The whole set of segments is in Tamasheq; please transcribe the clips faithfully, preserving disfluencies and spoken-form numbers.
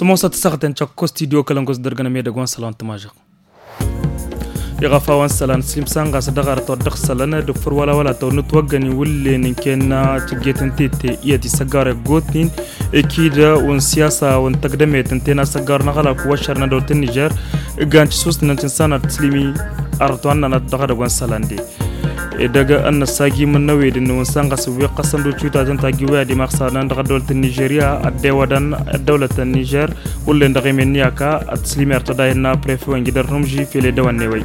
Mosăt săɣtăn căkko studio kălăngos dărgănăm edăgwan sălawăn tămažăɣ. Iɣăfawăn sălan slimsan ɣas dăɣ-arăt wa dăɣ-sălăn d-făr wăla wăla tăwănăt wăggăn iwǝllen n-kenna cǝgget n-tete iyyăt isăggawăr eggotnin. Ekid un siyasa un tăgdămet n-tena săggawăr n-aɣălak wăššăr n-adăwt n-nižer. Igan tisus n-antin sanăr tǝslimi arăt wa n-nanăt dăɣ-edăgg wa n-sălan de. Edăgg ănnăsagi mǝnnăwed n-wǝnsan ɣas wi qqăsăn d-uciwtatăn tagi wi ad-imaɣ sălan dăɣ-ăddăwlăt n-nižerya ăddewădăn ăddăwlăt n-nižer. Wullen dăɣ-emen n-iyaka ătǝslimer tăda innă prefe wa n-jidăr numži fel edăwănne wăy.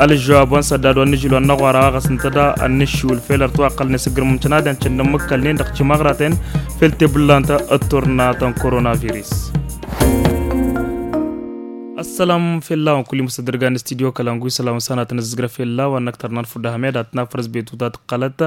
Alǝžžăwab wa n-săddad wa n-nǝžil wa n-năɣwara ɣas n-tăda ănnǝššiwǝl fel ărtwaqăl n-esǝgrǝm n-tănadăn cănnămmǝkkălnen dăɣ-timăɣraten fel tebǝllant ătturnatăn koronavirus. Ăssălam fell-a-wen kull-i mustădrǝgan n-studio kălangu isălam n-sanatăn ǝzzǝgră fell-a-wen năkk tărna n-fudda hămed ad-tǝnafărăs betuta tǝqqălăt.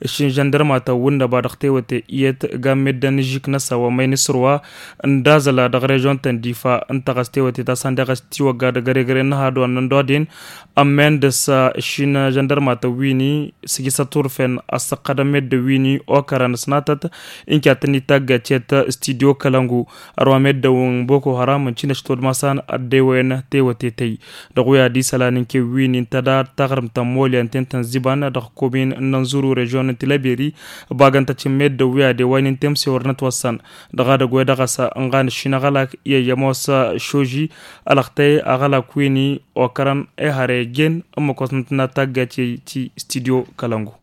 Ǝššin žăndărmatăn wǝnnăba dăɣ-tewăte iyyăt gammedden n-ižžik-năsăn wa măyni sǝrwa n-dazăl dăɣ-režon-tăn difa ǝnta ɣas tewăte ta săndeɣ ăstiwăgga dăgg-ăregăre n-năhadwan n-dodin. Ămmen dăr-s ǝššin žăndărmatăn wi-ni sǝjǝsăt turfen ăssăqqădăn meddǝn wi-ni okărăn s-natăt. Inki ad-tăn-itaggăcet studio kălăngu ărwa meddǝn boko haram n-cinăš todmasan ăddewăyăn tewătetăy. Dăɣ-wi ad-isălan n-kewwin intăda taɣrǝmt n-molyan ten-tăn-ziban dăɣ-komin n-ănzuru režyon n-tilăberi. Bagăn-tăt-in meddǝn wi ad-ewăyăn intemse wăr nătwăssan dăɣ-adăgg wa dăɣ-s ănɣan ăššinăɣălak i-ămoos šoži. Ălăxtăy aɣălak wi-ni okărăn ehăre jen ǝmmǝk wa s-nătănna taggăt i-ti studio kălăngu.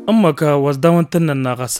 Ǝmmǝk wa s-dawăn tǝnnănna ɣas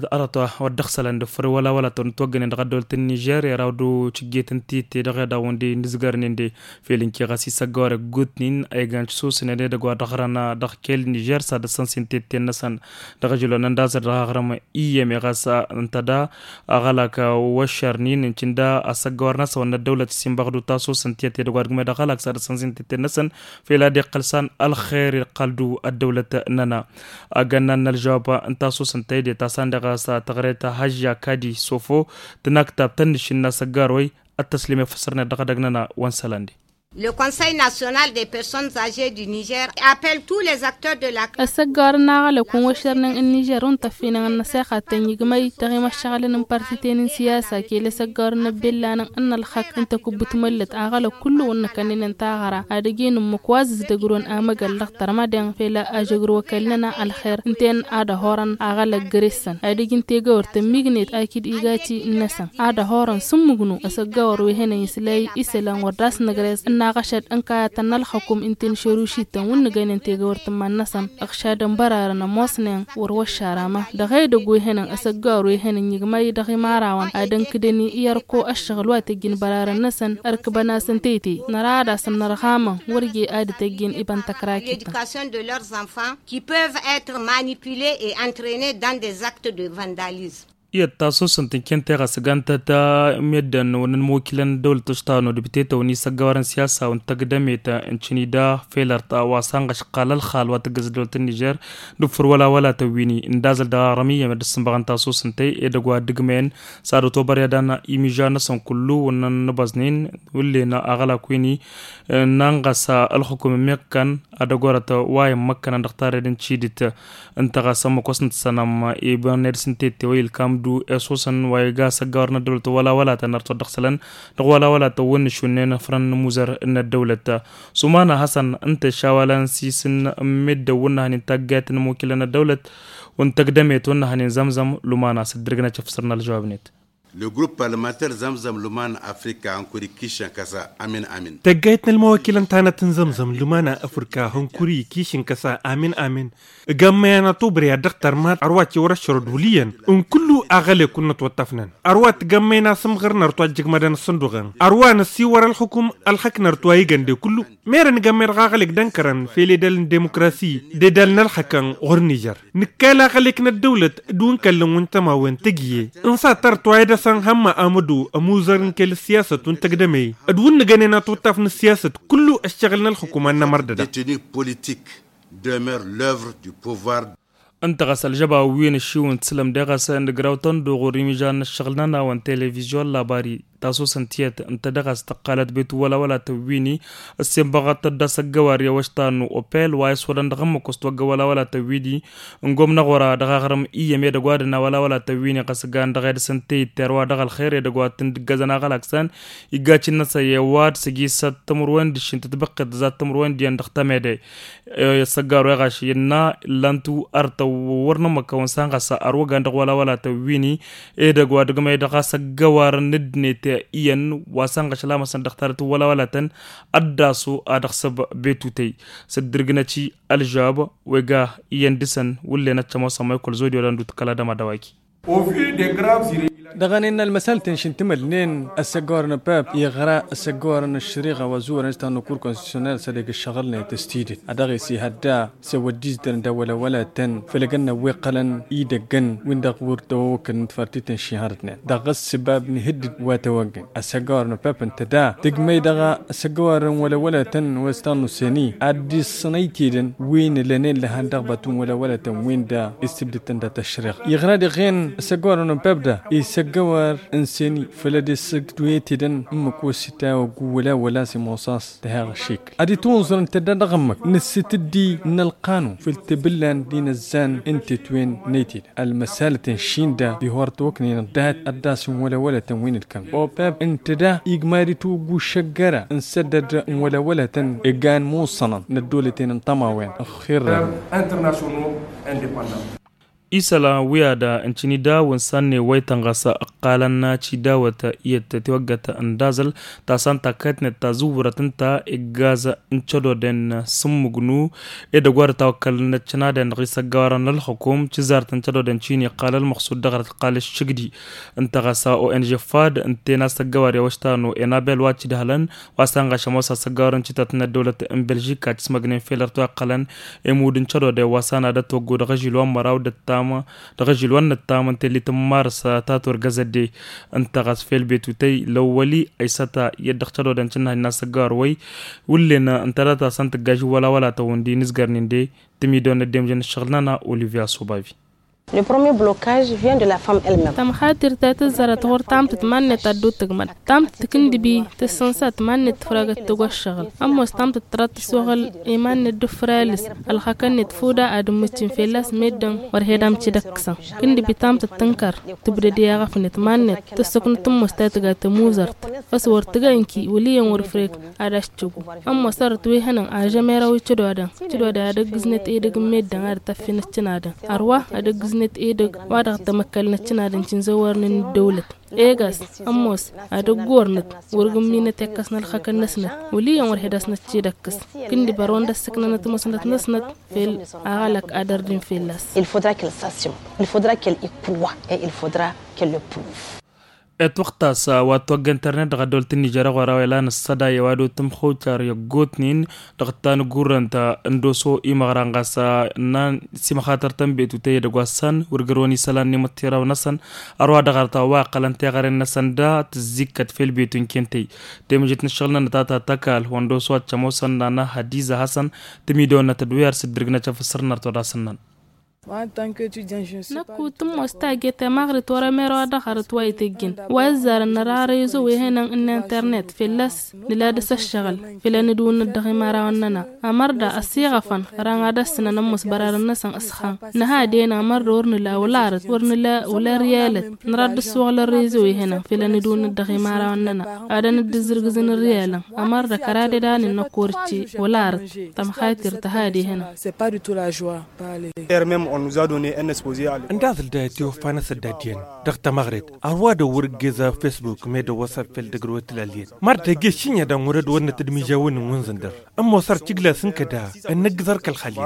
arăt wa dd-ăxsălăn d-făr wăla wăla tăwăn ǝtwăggănen dăɣ-ăddăwlăt n-nižer iraw d-cǝgget n-titte dăɣ-edawăn de n-dǝzgărnen de. Fel ǝnke ɣas isăggăwăr ăggutnin a igan tisusnen edăgg wa dăɣ-ărăn dăɣ-kel nižer s-ad-ăssănsen titte-năsăn dăɣ-ažǝlon n-dazăr dăɣ-aɣrǝm. Iyyăm iɣas ǝnta da aɣălak wăššărnin n-cǝnda asăggăwăr-năsăn wănna ăddăwlăt s-inbăɣdu tasus n-tiyyăt edăgg wa dăgg-medăɣ aɣălak s-ad-ăssănsen titte-năsăn. Fel ad-iqqăl san ălxer iqqăl-du ăddăwlăt-năna. Agănnan n-ălžăwab n-tasus n-tăyde ta san deɣ a-s tăɣret hăžža kadi sofo tǝnaktab tănnǝššin n-asăggăwăr-way. Ăttăslem efăsrănet dăɣ-edăgg-năna wa n-sălan de. Le conseil national des personnes âgées du niger appelle tous les acteurs de la. Ăssăggawăr n-aɣălăk wa n-wăššărnen n-nižer wa n-tăffinăn ănnăṣexa tănjǝgmăy dăɣ-imăššăɣǝlăn n-partiten n-siyasa kele ăssăggawăr n-ăbbellanăn n-ălxăk n-tăkubbǝt măllăt aɣălăk kullu wa n-năkănnănen taɣăra ad-ăj inǝmmǝk wa zǝzdăgrǝwăn amăgăl dăɣ-tărmăden fel a žăgrǝw ăkall-nănăɣ ălxer ǝnta-en ad-ăhorăn aɣălăk găre-săn ad-ăj n-tegăwărt tămmignet akǝd igaci-năsăn ad-ăhorăn s-ǝmmǝgnu ăsăggawăr wi hănen isălay isălan wăr dd-as-nǝgrez ǝnnaɣ ašăd n-kayătăn n-ălxăkum ǝnta-en šărušităn wǝnnǝgăynen tegăwărt n-iman-năsăn ǝɣšadăn bărarăn ămoosnen wăr wăššarama dăɣ-edăgg wi hănen ăsăggawăr wi hănen ǝnjǝgmăy dăɣ-imarawăn ad-ănkǝdăn i-ărko ăššăɣǝl wa tăjjǝn bărarăn-năsăn ărkǝbăn-as ǝnta ete năra ad-asăn nărɣamăn wăr je ad-tăjjǝn iba n-tăkrakităn. Qui peuvent être manipulés et entraînés dans des actes de vandalisme. Iyyăt tasusăn tǝnken teɣăs gantăt meddǝn wănnăn mokilăn dăwlăt ăštanu d-bitetăwăn isăggăwărăn siyasa wăn tăgdămet n-cǝnida felărt wa s-anɣăš qal ălxal wa tǝggăs dăwlăt n-nižer d-ufǝr wăla wăla tăwwini n-dazăl dăɣ-aɣrămiyăm d-ǝssǝnbăɣăn tasusăn tăy edăgg wa dd-ǝgmăyăn s-ad-otobăr i-ad-anna imiža-năsăn kullu wănnăn n-abăẓnen wǝllen aɣălak wini n-anɣăs ălxukum n-meɣ kăn ad-ăgorăt wa immăkkănăn dăɣ-tarred n-tidǝt. Ǝnta ɣas ămmăk wa s-nǝttsănăm ibăn ed s-nǝtette wa ilkam-du i-ăṣuṣăn wa iga asăggawăr n-ăddăwlăt wăla wăla tăn-ărtăwăt dăɣ-isălan dăɣ-wăla wăla tăwwăn n-išunnen ăfrăn n-imuzăr n-ăddăwlăt. Sumana hasăn ǝnta išawalăn s-isǝn n-meddǝn wǝnnăhăn intaggayăt n-imukilăn ăddăwlăt wǝn tăgdămet wǝnnăhăn inzămzăm lumana s-dd-ǝrgǝnăt efsărna ălžăwab-net. Le grup parlămanter zămzăm lumana afrika hănkuri kišăn kăsa amin amin. Tăggayt n-ălmăwăkilăn tanăt n-zămzăm lumana afrika hănkuri kišăn kăsa amin amin. Ǝgammăyăn atubri ad-dăɣ-tărmat ărwa tiwăr ăššărăd wǝlǝyăn n-kullu aɣălek wǝnnăt wăṭṭăfnăn ărwa tǝgammăyăn asǝmɣăr n-ărtu ad-jǝgmădăn ăssănduɣăn ărwa năsiwăr ălxukum ălxăk n-ărtu a igăn de kullu. Merăn gammăy dăɣ-aɣălek d-ănkărăn fel edal n-demukrasi d-edal n-ălxăkăn ɣur-nižăr. Nǝkkal aɣălek n-ăddăwlăt d-wǝnkăllăn wǝnta ma wen tăgg'-e. Ǝnsa tăr-t wa idăsăn hămma amădu ămuzăr n-kăl-ăssiyasăt wǝnta ăgg-dămăy d-wǝnnǝgănen ătuṭṭaf n-ăssiyasăt kullu ăššăɣǝl n-ălxǝkum ad-nămărdăda. Detenu politik demeure l'oeuvre du pouvoir. Ǝnta ɣas ălžăba wi n-ašiw n-tǝslăm deɣ ɣas nǝgraw tănduɣ ɣur-imižan n-ăššăɣǝl-nănăɣ wa n-televizyon labari. tasosăn tiyyăt ǝnta dăɣ-a-s tăqqalăt betu wălawălatăn wi-ni. Ǝssin băɣăt tădda s-ăggăwar i-awăštan n-opel wa iswăḍăn dăɣ-ămmăk wăst wăgg wălawălatăn wi-di. N-gomnăɣ wăra dăɣ-aɣrǝm iyyăm edăgg wa dăɣ-na wălawălatăn wi-ni ɣas gan dăɣ-edăsăn teyǝtter wa dăɣ-ălxer edăgg wa t-ǝndǝggăzăn aɣălak s-an. Igga cinăsăy i-ăwadǝs ăgg-i s-ad-tămărwen d-ašin tǝtbăqqet d-tămărwen d-iyyăn dăɣ-tămede. Ăssăggar wa iɣaš innă illan-tu artăw wăr nămmăkkăwăn s-an ɣas arwăgan dăɣ-wălawălatăn wi-ni. Edăgg wa dăgg-măy dăɣ-a-s ăggăwarăn n-ǝddǝnet iyyăn wa s-anɣăš lamăsăn dăɣ-talăt n-wălawălatăn. Ăddasu ad-ăɣsăb betutăy s-dd-irgnăci ălžab. Wega iyyăn dăɣ-săn wǝllen ăccămosăn ma ikăl zodi wa dăɣ-nǝdut kăla dăma dăwaki. Dăɣ-ănnin n-ălmăsal tǝnšǝn timǝlnen ăssăggăwarăn pep iɣra ăssăggăwarăn ăššăriɣa wa zuwărăn s-tannăkur konstitusyonal s-edăgg ǝššăɣǝlnet s-tidǝt a dăɣ-e-s ihădda s-e-wăddizdăn d-awălawălatăn făll-egănna wi ǝqqălăn idăggăn win-dăɣ wăr tăwăwăkkălăn d-fartităn šihărătnen dăɣ-ăssibab n-ihǝddǝd wa tăwăggăn ăssăggăwarăn pep ǝnta da tǝgmăy dăɣ-ăssăggăwarăn wălawălatăn wa s-tannusăni ad-dd-iṣṣănăy tidǝn wi n-lănen lăhan dăɣ-batu n-wălawălatăn win-da issǝbdǝtăn dat-ăššăreɣa iɣra diɣen ăssăggăwarăn n-pep da isăggăwar n-seni făll-ad-issǝgduyăt tidǝn ǝmmǝk wa s-itawăggu wăla wăla s-imuṣaṣ tăheɣ ăššik ad-itwǝnẓăr ǝnta da dăɣ-ǝmmǝk n-ǝssǝtǝddi n-ălqanun făll-tebǝllan d-inăzzan n-tetwen n-etid ălmăsalăt n-šinda ihor tawăknen dat ăddas n-wălăwălătăn wi n-ǝlkăm opep ǝnta da igmad itwǝggu šăggăra n-săddăd n-wălăwălătăn igan muṣănăn n-ăddolăten n-tămawen ăxxirrăn. Isălan wi ad-ǝncǝni daw-ǝnsan n-ewăytăn ɣas ǝqqalăn aci dawăt iyyăt tiwăggăt n-dazǝl ta s-an takkăyătnet ta zǝwwărăt ǝnta iggaz n-cădoden s-ǝmmǝgnu edăgg wa dăɣ-tawăkkăl n-ăccănaden dăɣ-isăggăwarăn n-ălxukum cǝzartăn cădoden cini iqqal ălmăxsud dăɣ-răt iqqal ǝššǝgdi. Ǝnta ɣas a o n g fad ǝnta-en a-s ăggăwar i-awăštan o enabel wa cǝdhălăn wa s-anɣaš ămoos asăggawăr n-cităt n-ăddăwlăt n-belžik a cǝsmăgnen fel ărtwa iqqălăn emud n-cădodăy wa s-anadăt toggăw dăɣ-ažil wa n-măraw d-ăttam dăɣ-ažil wa n-ăttam n-tellit n-mars ta turgăzădde. Ǝnta ɣas fel betutăy lăwwăli ăysăta i-dd-dăɣ cădodăn cǝnnăhăy n-asăggawăr wăy wǝllen ǝnta data s-ăntǝggaj wăla wăla tăwwǝndi n-izgărnin de tǝmidon n-ăddemjăn ǝššăɣǝl-nănăɣ olivia sobavi. Le premier blocage vient de la femme elle-même. Tămxatir ta tǝzzărăt ɣur-tamtăt mannet ad-dd-tǝgmăd tamtăt kǝndǝbi tǝssǝnsat mannet tǝfragăt tăgg-wa ăššăɣǝl ămoos tamtăt tăra tǝssoɣăl i-mannet d-ǝfralǝs ălxakăn-net fuda ad-ǝmmǝccǝn fell-a-s meddǝn wăr he-dam cǝdăkkǝsăn kǝndǝbi tamtăt tǝnkăr tǝbdăd i-aɣăf-net mannet tǝssǝknăt ămoos ta tǝga tămuzărt. Ăswăr tǝga ǝnki wăl' iyyăn wăr-ǝfrek ad-aščǝgu ămoos ărăt wi hănăn ažămeraw i-cădodăn cădodăn ad-ăggǝznăt edăgg n-meddǝn ad-tăffin ăccănadăn ărwa ad-ăggǝznăt edăgg wa dăɣ-tămăkkălnăt cănadăn cǝnzăwărnen n-ăddăwlăt. Egas ămoos ad-ăgg-ornăt wăr gǝmminăt ekkăs n-ălxăkăn-năsnăt wăl' iyyăn wăr he-dăɣ-snăt cid-ăkkǝs. Kǝndǝba ărwăn d-ăssǝknănăt ămoosnăt-năsnăt fel aɣălăk ad-ărdin fell-as. Il faudra qu'elle s'assume, il faudra qu'elle y croie et il faudra qu'elle le prouve. Etwăɣtas wa t-wăgg internet dăɣ-ăddăwăl tǝnnižer ăɣora wa ilan ăssăday i-wa d-otǝmxucar i-ăggootnen dăɣ-tanăggurrăn ta n-doso imăɣran ɣas ănnan simăxatăr-tăn betutăy edăgg wa s-san wăr gărwăn isălan n-imǝṭṭiraw-năsăn. Ărwa dăɣ-arăt a-wa ǝqqălăn teɣăren-năsăn da tǝzzikkăt fel betu n-kentăy temǝžet n-ǝššăɣǝl-nănăt a ta tăkall wa n-doso ad-t-ămoosăn nana hădiza hasăn tǝmidăwănnăt d-wi ar s-dd-irgnăt afǝssărnăr todasăn-năn. Năkk wǝtǝmmos taje tamaɣrit wăr-emăr wa dăɣ-arăt wa itǝjjǝn wa ǝzzarăn năra rezo wi hănăn n-internet fălla-s nǝla dăɣ-s ăššăɣǝl făll-a nǝdwǝnnăt dăɣ-imărawăn-nănăɣ. Ămăr da ăsiɣăfăn ărăn ad-ăssǝnăn ămoos bărarăn-năsăn s-ixan nǝha ad-ena ămăr da wăr nǝla wăla arăt wăr nǝla wăla riyalăt. Năra dd-ăssuɣǝl ărezo wi hănăn făll-a nǝdwǝnnăt dăɣ-imărawăn-nănăɣ ad-ănǝddǝzzǝrgǝzăn riyalăn. Ămăr da kăradedanen n-ăkk wăr-ǝcce wăla arăt. Tămxatir tăhadi hănăn. Ǝnda a zǝl dayăt iwăffa n-asăddad iyyăn dăɣ-tamăɣret ărwa dăɣ-wăr-ǝggez afesbuk meddǝn wăsăf fel dăgg-dd-wăt tǝlal iyyăn măr dăgg-e-s šǝnnya daɣ wăr-ădd wănnăt d-imižawăn n-wǝnzǝndăr. Ămoos ar cǝglas n-kăda ănnăggǝẓ ărkăl xalya.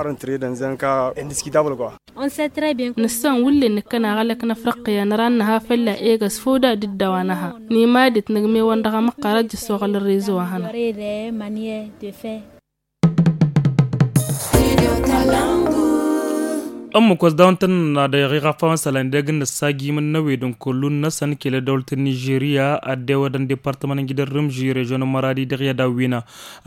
Nǝssan wǝllen nǝkkăn aɣălăk n-afriqqiya năra n-nǝha fălla egăs făw da d-dd-a-wa nǝha. N-imadit nǝgmewăn dăɣ-amăqqar ăjjǝssoɣăl n-rezo wa hănăɣ. Ămmăkos daw-ǝntăn n-ad-iɣiɣ afawăn isălan ideg n-nǝssagimăn n-ewed n-kullun-năsăn kăl-ăddăwlăt n-nižerya ad-dewădăn departămăn n-gidăr rǝmži režyon n-măradi dăɣ-i ad-awwină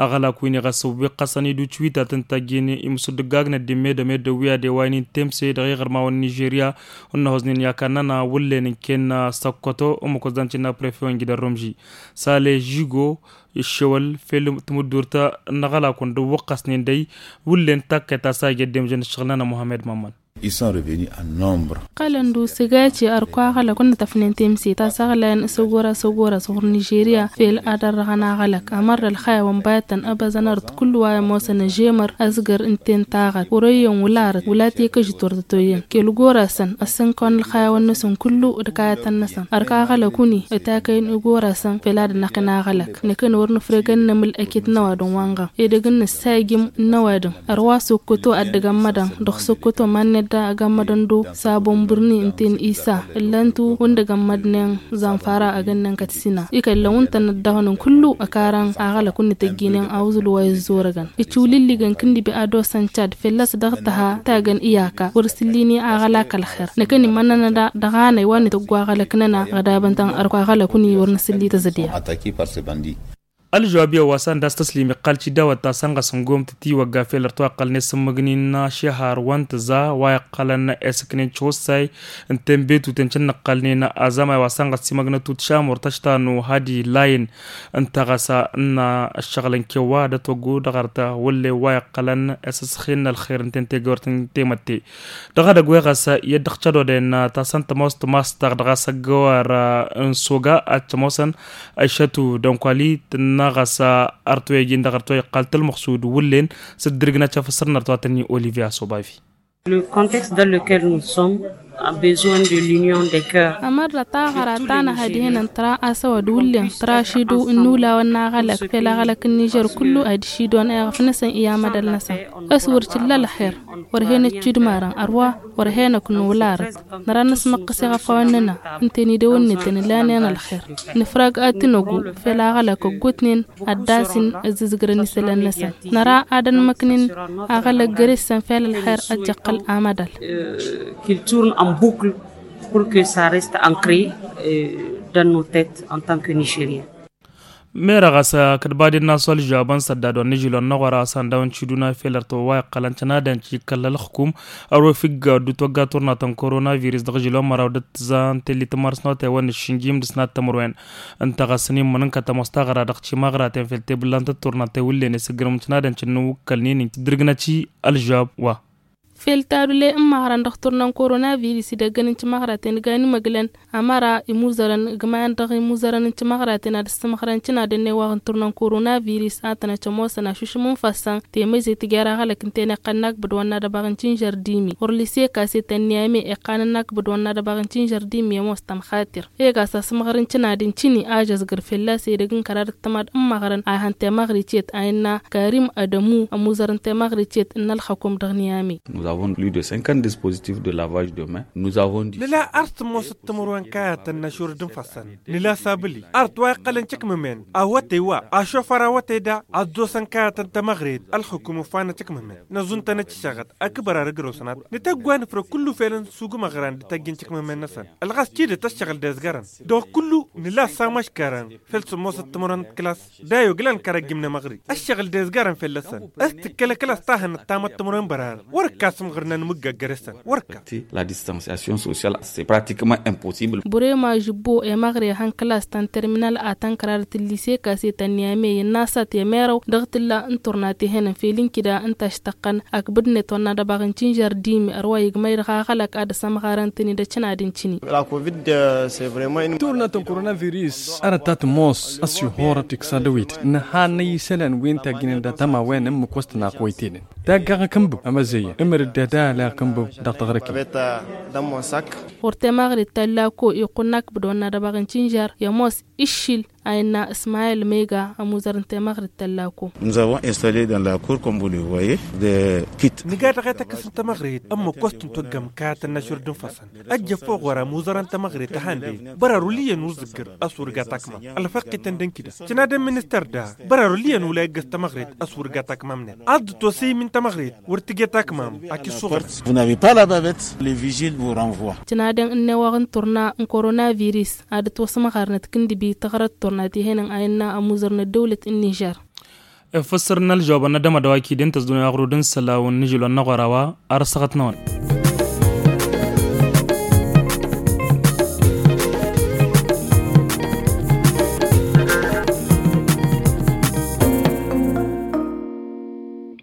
aɣălak wi n-iɣăsăw wi ɣăsăn iduc wi ta tǝntajjin imsǝddǝggag n-ăddimme d-ămedăw wi ad-ewaynen temse dăɣ-iɣărmawăn n-nižerya. Wăr năhoznen i-akannăn a wăllen n-ken săkkoto ămmăkos dan cǝnna prefe-wăn gidăr rǝmži sale žigo iššewăl fel tǝmǝddurt n-aɣălak wăn dd-wăqqăsnen dăy wăllen takkăy ta s-a ija ăddemžăn ǝššăɣǝl-nănăɣ muhammed mămmăn. Isăn reveni ănnombra. Qălăn d-usǝgace ărkwa aɣălăk wăn n-tăfnen temse ta s-aɣlayăn s-ăgora s-ăgora s-ɣur-nižerya fel ad-ărrăɣăn aɣălăk amăr d-ălxayawăn bayătăn ăbăzăn arăt kullu wa ămoosăn ăžemăr ăzgăr ǝnta-en taɣăt wăr-oyyen wăla arăt wăla tekăžit wăr tătoyyen kăl-gora-săn ăssănkăwăn ălxayawăn-năsăn kullu d-kayătăn-năsăn. Ărkwa aɣălăk wăn-i ătakăyăn igora-săn fel ad-năqqǝn aɣălăk năkăn wăr nǝfreg ad-nămǝl ăkit n-ăwadǝm wa n-ɣa edăgg n-nǝssayǝjǝm n-ăwadǝm. Ărwa sokkoto ad-dăgg-ămmădăn dăɣ-sokkoto manned da ăgg-ămmădăn do sabon bǝrni ǝnta-en isa ǝllan-tu wǝndăg ămmădnen zanfara ăgg-ănnăn kăt-sina ikăllăn wǝntăn ăddăɣnăn kullu ăkarăn aɣălăk wǝnnǝtăjjinen awǝzǝl wa izzorăgăn. Ǝcǝwlǝlligăn kǝnnǝbi ad-osăn cad fălla-s dăɣ-tăha tagăn iyaka wăr s-ǝllin i-aɣălak ălxer năkăn iman-nănăɣ daɣ a năy wa n-ităggu aɣălăk-nănăɣ ɣădabăn-tăn ărkwa aɣălăk wǝnni wăr nǝsǝlli tăzădya. Ălžăwab i-ăwwasăn d-a-s tăslim iqqal cidawăt ta sănɣăs n-gomtăt iwăgga fel ărtawăqqălnen s-ǝmmǝgnin ašehar wa n-tǝza wa iqqălăn esǝknen tiwăssay n-tenbetuten cǝnnăqqălnen azamay wa sănɣăs timăgnătut šamur tăštanu hadi layin. Ǝnta ɣas n-ăššăɣǝl n-kewwa d-ătwăggu dăɣ-arăt wăllen wa iqqălăn esǝsxin n-ălxer n-tentegăwărt n-temătte. Dăɣ-edăgg wa ɣas i-dd-ăɣcădodăyăn ta săn tămoos tămastaɣ dăɣ-a-s ăggăwar n-soga ad-tămoosăn ăššătu dănkwali tǝnna ɣas arăt wa ijin dăɣ-arăt wa iqqal tălmăɣsud wǝllen s-dd-irǝgnăt căfăsăr n-arăt wa tăn-i olivier asobavi. Le contexte dans lequel nous sommes a besoin de l'union des cœurs. Ămărrăt aɣăra ta nǝha dihen n-tăra a-s ăwăd wǝllen tăra ašidǝw n-inulawăn n-aɣălăk fel aɣălăk n-nižer kullu ad-išidǝwăn eɣăf-năsăn i-amădăl-năsăn. A-s wăr t-illa ălxer wăr hen-ăccidmarăn ărwa wăr hen-ăknăw larăt. Năra năsmăqqăs iɣăfawăn-nănăɣ ǝnta-en idăwănnetăn ǝlanen ălxer. Nǝfrag ad-t-năgu fel aɣălăk ăggootnen ad-dd-asǝn ăzzǝzgărăn isălan-năsăn. Năra ad-ănmăknen aɣălăk găre-săn fel ălxer ad-t-iqqăl amădal. Culture n-ănbukǝl pour que ça reste ancré dans nos têtes en tant que nigeriens. Merăɣ a-s kăt-baden n-a-s wăl-žabăn sădda d-wa n-ižilon n-aɣora a-s ăndawăn ciduna fel ărtăwăwa iqqălăn cănadăn ci kălla ălxǝkum. Ărwa ifǝgga ăddu togga turna ta n-korona virus dăɣ-ižilon măraw d-ǝttǝza n-telli tămărs n-otay wa n-ǝššǝnjim d-ǝsnat tămărwen. Ǝnta ɣas n-immǝnǝn kăt-ămoos taɣăra dăɣ-timăɣraten fel tebullantăt turna ta i-wǝllen isǝgrǝm n-cănadăn cǝnnǝwǝkkălnen tǝddǝrgnăt-i ălžab wa. Fel tadule n-imăɣrăn dăɣ-turna n-korona virus idăggăn n-timăɣraten gan imăglăn ămăra imuzărăn igmayăn dăɣ-imuzărăn n-timăɣraten ad-ǝssǝmɣărăn cănadăn n-ewaɣ n-turna n-korona virus a tănăt ămoosăn ašušǝm n-ifassăn temăzet tǝjjăr aɣălăk ǝnta-en iqqăn n-akbǝd wa n-ad-ăbaɣ n-tinžăr dimi wăr lise kase ta n-niyame iqqan n-akbǝd wa n-ad-ăbaɣ n-tinžăr dimi ămoos tămxatir. Ega s-asǝmɣăr n-tinadǝn tini a žăzgăr fălla-s edăgg n-kărar d-tămad n-imăɣrăn a ihăn temăɣricet a innă karim ădămu ămuzăr n-temăɣricet n-ălxăkum dăɣ-niyame. Nous avons plus de cinquante dispositifs de lavage de mains. Nous avons dit. Nǝla ar s-tămoosăt timǝrwen kayătăn n-ašurǝd n-ifassăn nǝla sabǝli art wa iqqălăn căkmămen awătay wa ašofăr awătay da ad-dd-osăn kayătăn tamăɣret ălxǝkum ǝffanăt căkmămen năẓuntănăt ǝššăɣăt akbăr ar ǝgrăwsăn ad-nǝtăgg wa nǝfrăg kullu felăn sugumăɣran d-tăjjǝn căkmămen-năsăn. Ălɣas tidǝt ăššăɣǝl d-ezgărăn dăɣ-kullu nǝla ăssamăškarăn fel s-ămoosăt timǝrwen d-klas. Dayog lan kăra ăjjǝmnăm aɣri ăššăɣǝl d-ezgărăn fălla-săn. S-tǝkkăl ăklas ta hănăt tamăt timǝrwen bărar wăr-ǝkka asǝmɣǝr n-anmǝgga găre-săn wăr-ǝkka. La distanciation sociale c'est pratiquement impossible. Burema žibbo emăɣre hăn klas ta n-terminal a tăn-kăradăt n-lise kase ta n-niyame innă a-s a temeraw dăɣ-tǝlla n-turna tehănăn fel n-kida n-taštăqqăn akbǝd-net wa n-ad-ăbaɣ n-tinžăr dimi ărwa igmăy dăɣ-aɣălăk ad-ăsămɣarăn-tăn-dd ăccănad n-tini. Turna ta n-korona virus arăt ta tămoos ăsihorăt iksadăwit nǝha n-isălan wi n-tajjǝnen datama wen ǝmmǝk wa s-tănaqwăytedăn. Taggaɣ akǝnbǝb amăzăyyăn ǝmăr dd-edal akǝnbǝb dăɣ-taɣrăkǝy. Ɣur-temăɣrit ta n-lako iqqun n-akbǝd wa n-ad-ăbaɣ n-tinžăr i-ămoos iššil. a innă ismayil mega ămuzăr n-temăɣrit tăllako. Nǝga dăɣ-e tăkǝs n-temăɣrit ămmăkos tǝntăggăm kayăt ănnăšur d-infăsăn ăjjăf oɣora ămuzăr n-temăɣrit ăhandăy bărăru lǝyyăn wăr zǝggăr ăswăr ga takmam ălfăqqităn d-ǝnkǝda. Tǝnadăn ministăr da bărăru lǝyyăn wăla iggăs temăɣrit ăswăr ga takmam-net ad-dd-tosăy min temăɣrit wăr tǝjje takmam. Akǝssuɣăl. Tǝnadăn ǝnneɣ wa n-turna n-koronavirus ad-dd-tosmăɣarnăt kǝndǝbi tăɣrăt turna tihenăn a innă ămuzăr n-ăddăwlăt n-nižer. Efăssăr n-ălžăwăbăn n-adămadăw akidin tăzdunăy aɣrud n-sălaw n-nižil wa n-năɣora wa ar ăssăɣăt-năwăn.